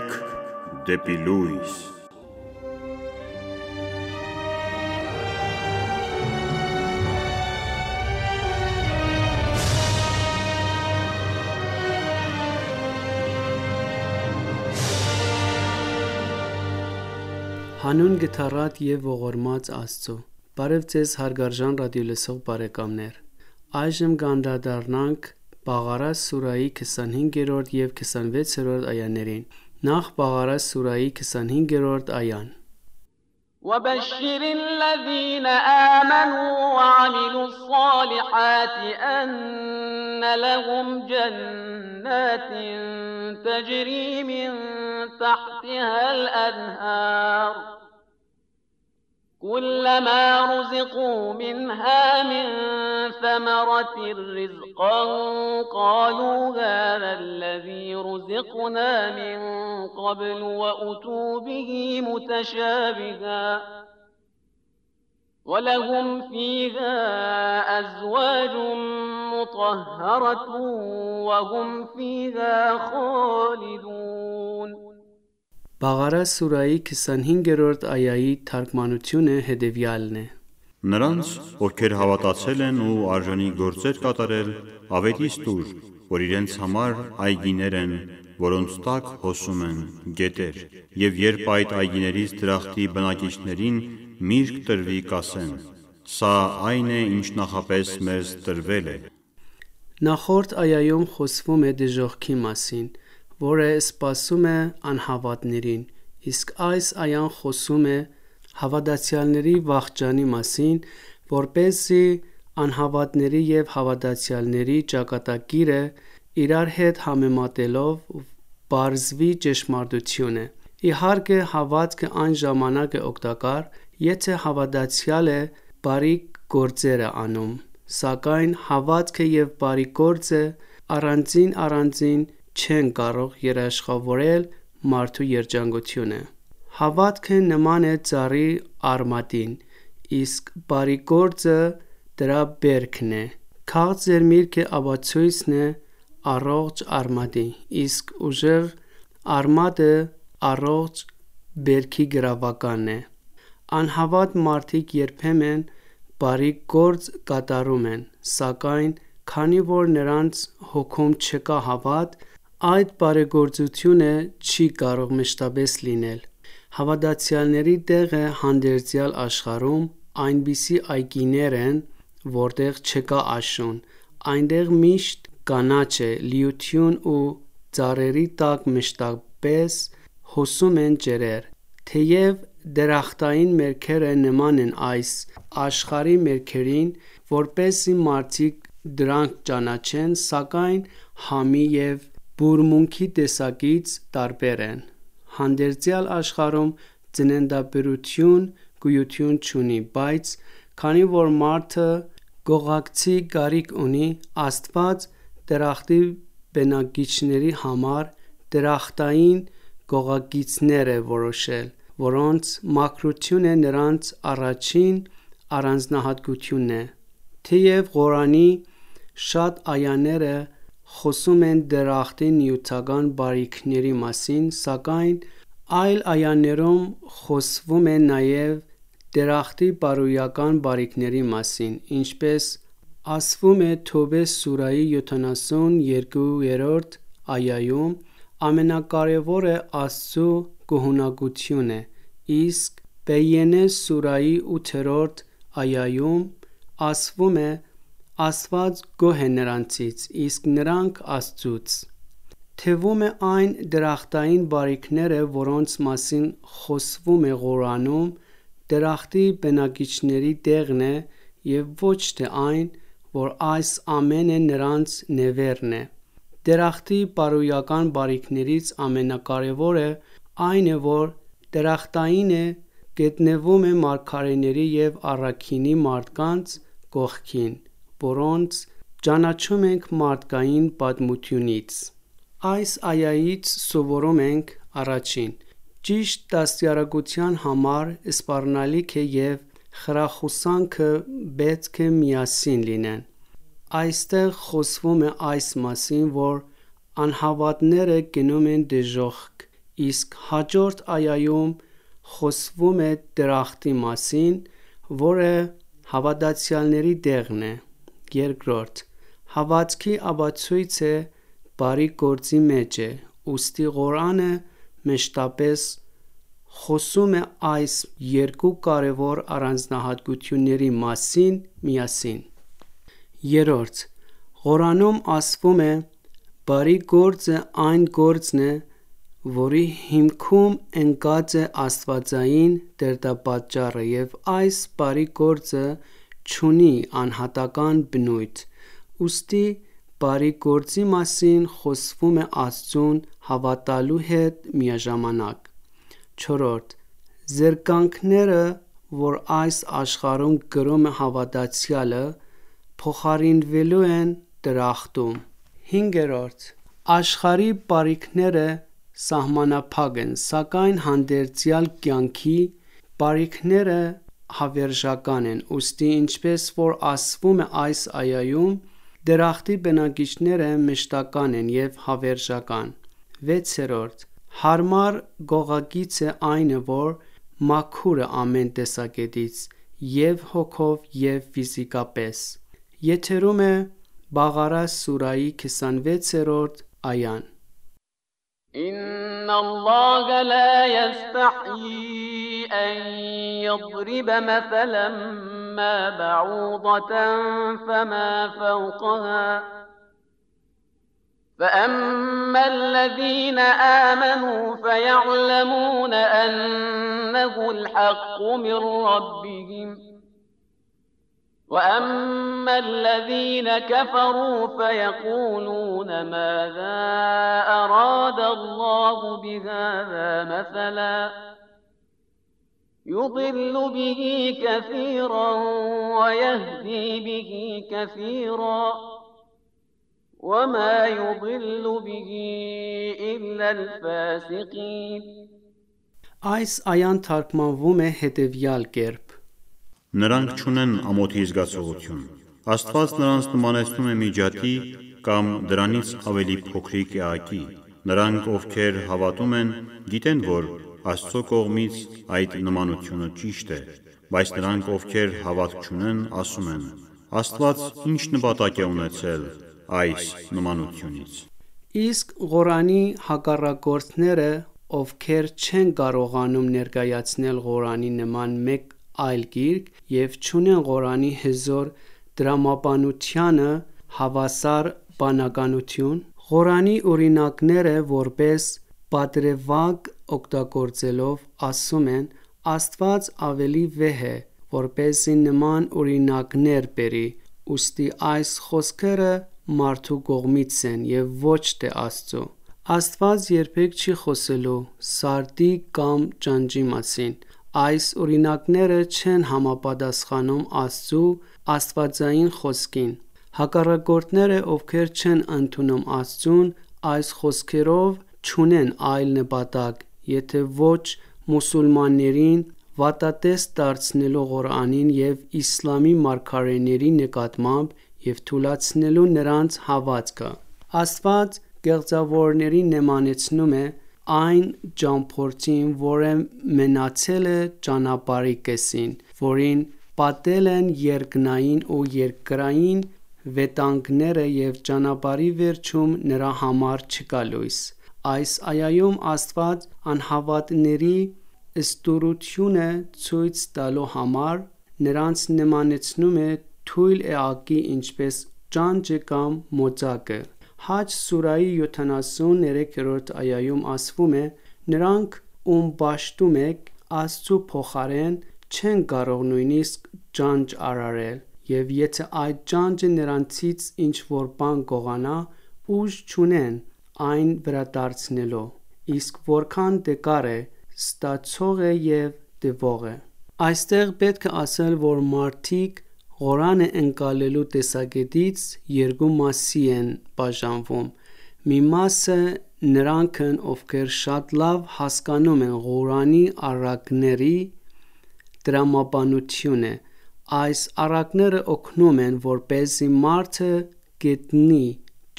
Կյանք դեպի լույս։ Հանուն գթառատ և ողորմած Աստծո։ Բարև ձեզ հարգարժան ռադիոլսող բարեկամներ։ Այժմ կանդրադառնանք Բաղարա սուրահի 25-րդ և 26-րդ այաներին։ Նախ Բաղարա սուրահի 25-րդ այան. وَبَشِّرِ الَّذِينَ آمَنُوا وَعَمِلُوا الصَّالِحَاتِ أَنَّ لَهُمْ جَنَّاتٍ تَجْرِي مِنْ تَحْتِهَا الْأَنْهَارُ كُلَّمَا رُزِقُوا مِنْهَا مِنْ ثَمَرَةٍ رِزْقًا قَالُوا هَذَا الَّذِي رُزِقْنَا مِنْ قَبْلُ وَأُتُوا بِهِ مُتَشَابِهًا وَلَهُمْ فِيهَا أَزْوَاجٌ مُطَهَّرَةٌ وَهُمْ فِيهَا خَالِدُونَ Բաղարա սուրահի 25-րդ այայի թարգմանությունը հետևյալն է. Նրանց, ովքեր հավատացել են ու արժանի գործեր կատարել, ավելի ստուր, որ իրենց համար այգիներ են, որոնց տակ հոսում են գետեր, և երբ այդ այգիներից դրախտի բնակիչներին միրգ տրվի, կասեն. Սա այն է, ինչ նախապես մեզ տրվել է։ Նախորդ այայում խոսվում է դժոխքի մասին, որը սպասում է անհավատներին, իսկ այս այան խոսում է հավատացյալների վախճանի մասին, որպեսզի անհավատների և հավատացյալների ճակատագիրը իրար հետ համեմատելով պարզվի ճշմարտությունը։ Իհարկե, հավատքը այն ժամանակ է օգտակար, եթե հավատացյալը բարիք գործեր է անում, սակայն հավատքը և բարիք գործը առանձին չեն կարող երաշխավորել մարդու երջանկությունը։ Հավատքը նման է ծառի արմատին, իսկ բարիք գործը դրա բերքն է։ Քաղց ձեր միրգը ապացույցն է առողջ արմատի, իսկ ուժեղ արմատը առողջ բերքի գրավականն է։ Անհավատ մարդիկ երբեմն բարիք գործ կատարում են, սակայն քանի որ նրանց հոգում չկա հավատ, այդ բարեգործությունը չի կարող մշտապես լինել։ Հավատացյալների տեղը հանդերձյալ աշխարհում այնպիսի այգիներ են, որտեղ չկա աշուն, այնտեղ միշտ կանաչ է, լիություն ու ծառերի տակ մշտապես հոսում են ջրեր։ Թեև դրախտային մերքերը նման են այս աշխարհի մերքերին, որպեսզի մարդիկ դրանք ճանաչեն, սակայն համի և բուրմունքի տեսակից տարբեր են։ Հանդերձյալ աշխարհում ծննդաբերություն գոյություն չունի, բայց քանի որ մարդը գողակցի կարիք ունի, Աստված դրախտի բնակիչների համար դրախտային գողագիծներ է որոշել, որոնց մաքրությունը նրանց առաջին առանձնահատկությունն է։ Թեև Ղուրանի շատ այաներ խոսում են դրախտի նյութական բարիքների մասին, սակայն այլ այաներում խոսվում է նաև դրախտի բարոյական բարիքների մասին, ինչպես ասվում է Թովբե սուրահի 72-րդ այայում. ամենակարևորը Աստծու գոհունակությունն է, իսկ Բեյենե սուրահի 8-րդ այայում ասվում է. Աստված գոհ է նրանցից, իսկ նրանք Աստծուց։ Թվում է այն դրախտային բարիքները, որոնց մասին խոսվում է Ղուրանում, դրախտի բնակիչների տեղն է և ոչ թե այն, որ այս ամենը նրանց նվերն է։ Դրախտի բարոյական բարիքներից ամենակարևորը այն է, որ դրախտայինը գտնվում է մարգարեների և առաքինի մարդկանց կողքին, որոնց ճանաչում ենք մարդկային պատմությունից։ Այս այայից սովորում ենք. Առաջին. Ճիշտ դաստիարակության համար սպառնալիքը և խրախուսանքը պետք է միասին լինեն։ Այստեղ խոսվում է այս մասին, որ անհավատները գնում են դժոխք Իսկ հաջորդ այայում խոսվում է դրախտի մասին, որը հավատացյալների դեղն է։ Երկրորդ, հավատքի ապացույց է բարի գործի մեջ է, ուստի Ղուրանը մշտապես խոսում է այս երկու կարևոր առանձնահատկությունների մասին միասին։ Երրորդ, Ղուրանում ասվում է. բարի գործը այն գործն է, որի հիմքում ընկած է աստվածային դերդապատճառը, և այս բարի գործը չունի անհատական բնույթ, ուստի բարի գործի մասին խոսվում է Աստծուն հավատալու հետ միաժամանակ։ Չորրորդ, զրկանքները, որ այս աշխարհում կրում է հավատացյալը, փոխարինվելու են դրախտում։ Հինգերորդ, աշխարհի բարիքները սահմանափակ են, սակայն հանդերձյալ կյանքի բարիքները հավերժական են, ուստի ինչպես որ ասվում է այս այայում, դրախտի բնակիչները մշտական են և հավերժական։ Վեցերորդ, հարմար գողագիծ է այն, որ մաքուր է ամեն տեսակետից, և հոգով, և ֆիզիկապես։ Եթերում է Բաղարա սուրայի 26-րդ այան։ إن الله لا يستحيي أن يضرب مثلا ما بعوضة فما فوقها فأما الذين آمنوا فيعلمون أنه الحق من ربهم وأما الذين كفروا فيقولون ماذا أراد الله بهذا مثلا يضل به كثيرا ويهدي به كثيرا وما يضل به إلا الفاسقين Այս այան թարգմանվում է հետևյալ կերպ. Նրանք չունեն ամոթի զգացողություն։ Աստված նրանց նմանեցնում է մի ջատի կամ դրանից ավելի փոքրիկ էակի։ Նրանք, ովքեր հավատում են, գիտեն, որ Աստծո կողմից այդ նմանությունը ճիշտ է, բայց նրանք, ովքեր հավատք չունեն, ասում են. Աստված ինչ նպատակ է ունեցել այս նմանությունից։ Իսկ Ղուրանի հակառակորդները, ովքեր չեն կարողանում ներկայացնել Ղուրանի նման մեկ այլ գիրք և չունեն Ղուրանի հզոր դրամաբանությանը հավասար բանականություն, Ղուրանի օրինակները որպես պատրվակ օգտագործելով ասում են. Աստված ավելի վեհ է, որպեսզի նման օրինակներ բերի, ուստի այս խոսքերը մարդու կողմից են և ոչ թե Աստծո։ Աստված երբեք չի խոսելու սարդի կամ ջանջի մասին։ Այս օրինակները չեն համապատասխանում Աստծու աստվածային խոսքին։ Հակառակորդները, ովքեր չեն ընդունում Աստծուն, այս խոսքերով չունեն այլ նպատակ, եթե ոչ մուսուլմաններին վատատես դարձնելու Ղուրանին և իսլամի մարգարեների նկատմամբ և թուլացնելու նրանց հավատքը։ Աստված գեղձավորներին նմանեցնում է այն ճամփորդին, որը մենացել է ճանապարհի կեսին, որին պատել են երկնային ու երկրային վտանգները և ճանապարհի վերջում նրա համար չկա լույս։ Այս այայում Աստված անհավատների ստորությունը ցույց տալու համար նրանց նմանեցնում է թույլ էակի, ինչպես ճանճը կամ մոծակը։ Հաջ սուրայի 73-րդ այայում ասվում է. Նրանք, ում պաշտում եք, Աստծու փոխարեն չեն կարող նույնիսկ ճանճ արարել, և եթե այդ ճանճը նրանցից ինչ-որ բան գողանա, ուժ չունեն այն վերադարձնելու, իսկ որքան տկար է, ստացող է և տվող է։ Այստեղ պետք է ասել, որ մարդիկ Ղուրանը ընկալելու տեսակետից երկու մասի են բաժանվում։ Մի մասը նրանք են, ովքեր շատ լավ հասկանում են Ղուրանի առակների տրամաբանությունը։ Այս առակները օգնում են, որպեսզի մարդը գտնի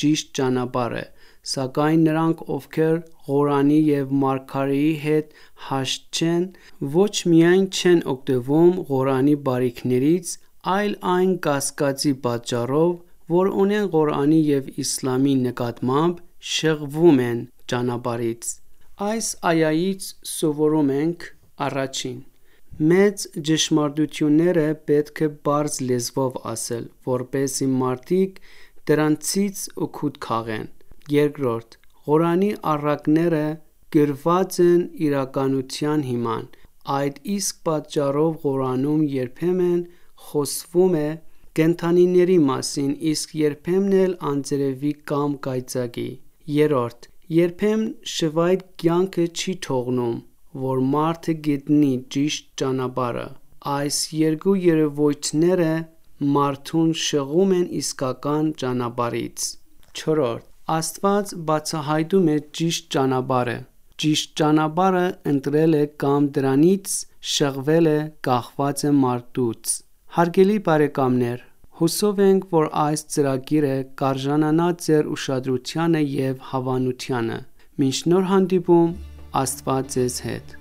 ճիշտ ճանապարհը, Սակայն նրանք, ովքեր Ղուրանի և Մարգարեի հետ հաշտ չեն, ոչ միայն չեն օգտվում Ղուրանի բարիքներից, այլ այն կասկածի պատճառով, որ ունեն Ղուրանի և իսլամի նկատմամբ, շեղվում են ճանապարհից։ Այս այայից սովորում ենք. Առաջին. մեծ ճշմարտությունները պետք է պարզ լեզվով ասել, որպեսզի մարդիկ դրանցից օգուտ քաղեն։ Երկրորդ. Ղուրանի առակները գրված են իրականության հիման, այդ իսկ պատճառով Ղուրանում երբեմն խոսվում է կենդանիների մասին, իսկ երբեմն էլ անձրևի կամ կայծակի։ Երրորդ. երբեմն շվայտ կյանքը չի թողնում, որ մարդը գտնի ճիշտ ճանապարհը։ Այս երկու երևույթները մարդուն շեղում են իսկական ճանապարհից։ Չորրորդ. Աստված բացահայտում է ճիշտ ճանապարհը։ Ճիշտ ճանապարհը ընտրել է կամ դրանից շեղվել է, կախված է մարդուց։ Հարգելի բարեկամներ, հուսով ենք, որ այս ծրագիրը կարժանանա ձեր ուշադրությանը և հավանությանը։ Մինչ նոր հանդիպում, Աստված ձեզ հետ։